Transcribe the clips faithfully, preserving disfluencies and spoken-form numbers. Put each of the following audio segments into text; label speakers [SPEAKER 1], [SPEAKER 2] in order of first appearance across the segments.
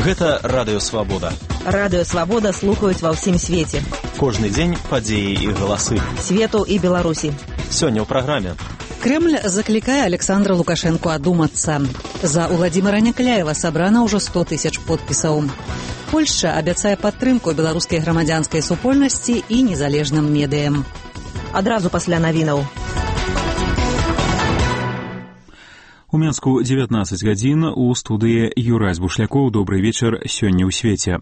[SPEAKER 1] Гэта Радыё Свабода.
[SPEAKER 2] Радыё Свабода слухаюць ва ўсім свеце.
[SPEAKER 1] Кожны дзень падзеі і галасы
[SPEAKER 2] Свету і Беларусі.
[SPEAKER 1] Сёння ў праграме.
[SPEAKER 3] Кремль заклікае Александра Лукашенко адумацца. За Уладзіміра Някляева сабрана ўжо сто тысяч подпісаў. Польшча абяцае падтрымку беларускай грамадзянскай супольнасці і незалежным медыям.
[SPEAKER 2] Адразу пасля навінаў.
[SPEAKER 4] У Мінску дзевятнаццаць гадзін, у студыі Юрась Бушлякоў. Добрый вечар, сёння ў свеце.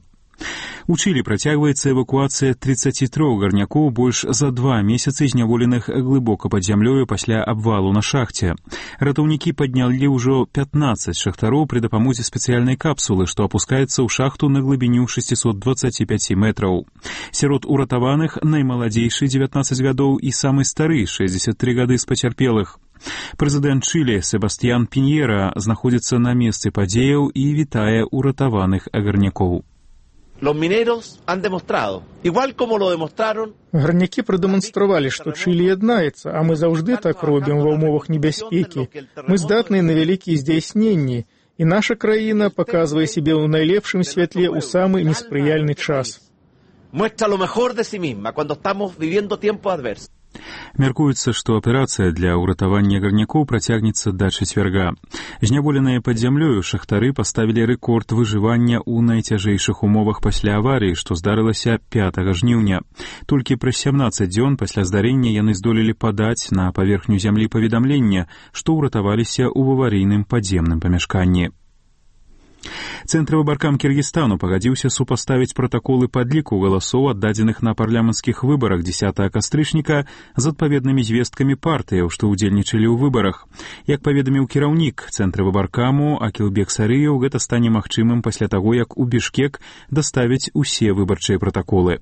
[SPEAKER 4] У Чылі працягваецца эвакуацыя трыццаці трох гарнякоў больш за два месяцы зняволеных глыбока пад зямлёю пасля абвалу на шахце. Ратаўнікі паднялі ўжо пятнаццаць шахтароў пры дапамозе спецыяльнай капсулы, што апускаецца ў шахту на глыбіню шэсцьсот дваццаць пяць метраў. Сярод уратаваных наймаладзейшы дзевятнаццаць гадоў і самы стары шэсцьдзесят тры гады з пацярпелых. Прэзідэнт Чылі Себастьян Піньера знаходзіцца на месцы падзеяў і вітае уратаваных агарнякоў.
[SPEAKER 5] Гарнякі прадэманстравалі, што Чылі яднаецца, а мы заўжды так робім ва ўмовах небяспекі. Мы здатныя на вялікія здзяйсненні, і наша краіна паказвае сябе ў найлепшым святле ў самы неспрыяльны час.
[SPEAKER 4] Мяркуецца, што аперацыя для ўратавання гарнякоў працягнецца да чацвярга. Зняволеныя пад зямлёю шахтары паставілі рэкорд выжывання ў найцяжэйшых умовах пасля аварыі, што здарылася пятага жніўня. Толькі праз сямнаццаць дзён пасля здарэння яны здолелі падаць на паверхню зямлі паведамлення, што ўратаваліся ў аварыйным падземным памяшканні. Цэнтравы баркам Кіргізстану пагадзіўся супаставіць пратаколы падліку галасоў, аддадзеных на парламенцкіх выбарах дзесятага кастрычніка, з адпаведнымі звесткамі партыяў, што ўдзельнічалі ў выбарах. Як паведаміў кіраўнік цэнтравы баркаму Акілбек Сарыеў, гэта стане магчымым пасля таго, як у Бішкек даставяць усе выбарчыя пратаколы.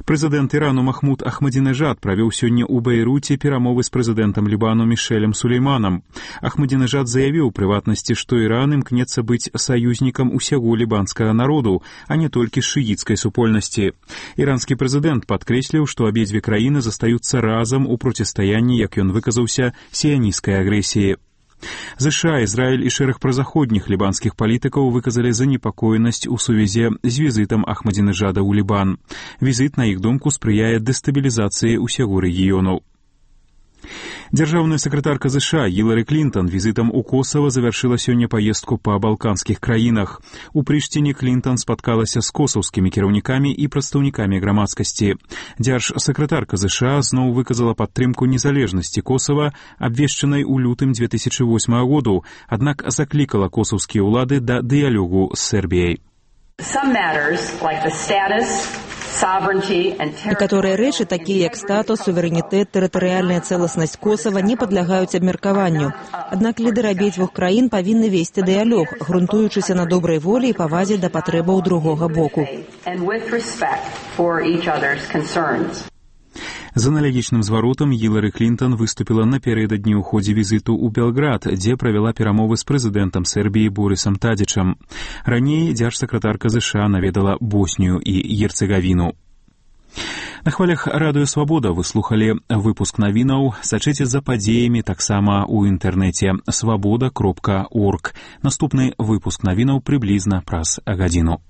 [SPEAKER 4] Прэзідэнт Ірану Махмуд Ахмадзінэжад правёў сёння ў Бейруце перамовы з прэзідэнтам Лібану Мішэлем Сулейманам. Ахмадзінэжад заявіў у прыватнасці, што Іран імкнецца быць саюзнікам усяго лібанскага народу, а не толькі шыіцкай супольнасці. Іранскі прэзідэнт падкрэсліў, што абедзве краіны застаюцца разам у процістаянні, як ён выказаўся, сіянісцкай агрэсіі. ЗША, Ізраіль і шэраг празаходніх лібанскіх палітыкаў выказалі занепакоенасць у сувязі з візітам Ахмадзінэжада ў Лібан. Візіт, на іх думку, спрыяе дэстабілізацыі ўсяго рэгіёну. Дзяржаўная сакратарка ЗША Гілары Клінтон візітам у Косава завяршыла сёння паездку па балканскіх краінах. У Прыштіне Клінтон спаткалася з косаўскімі кіраўнікамі і прадстаўнікамі грамадскасці. Дзяржсакратарка ЗША зноў выказала падтрымку незалежнасці Косава, абвешчанай у лютым дзве тысячы восьмага году, аднак заклікала косаўскія ўлады да дыялогу з Сербіяй.
[SPEAKER 2] Некаторыя рэчы, такія як статус, суверэнітэт, тэрытарыяльная цэласнасць Косава, не падлягаюць абмеркаванню. Аднак лідары абедзвюх краін павінны весці дыялог, грунтуючыся на добрай волі і павазе да патрэбаў другога боку.
[SPEAKER 4] З аналагічным зваротам Гілары Клінтон выступіла напярэдадні ў ходзе візіту ў Белград, дзе правяла перамовы з прэзідэнтам Сербіі Борысам Тадзічам. Раней дзяржсакратарка ЗША наведала Боснію і Герцегавіну. На хвалях Радыё Свабода вы слухалі выпуск навінаў. Сачыце за падзеямі таксама ў інтэрнэце свабода кропка орг. Наступны выпуск навінаў прыблізна праз гадзіну.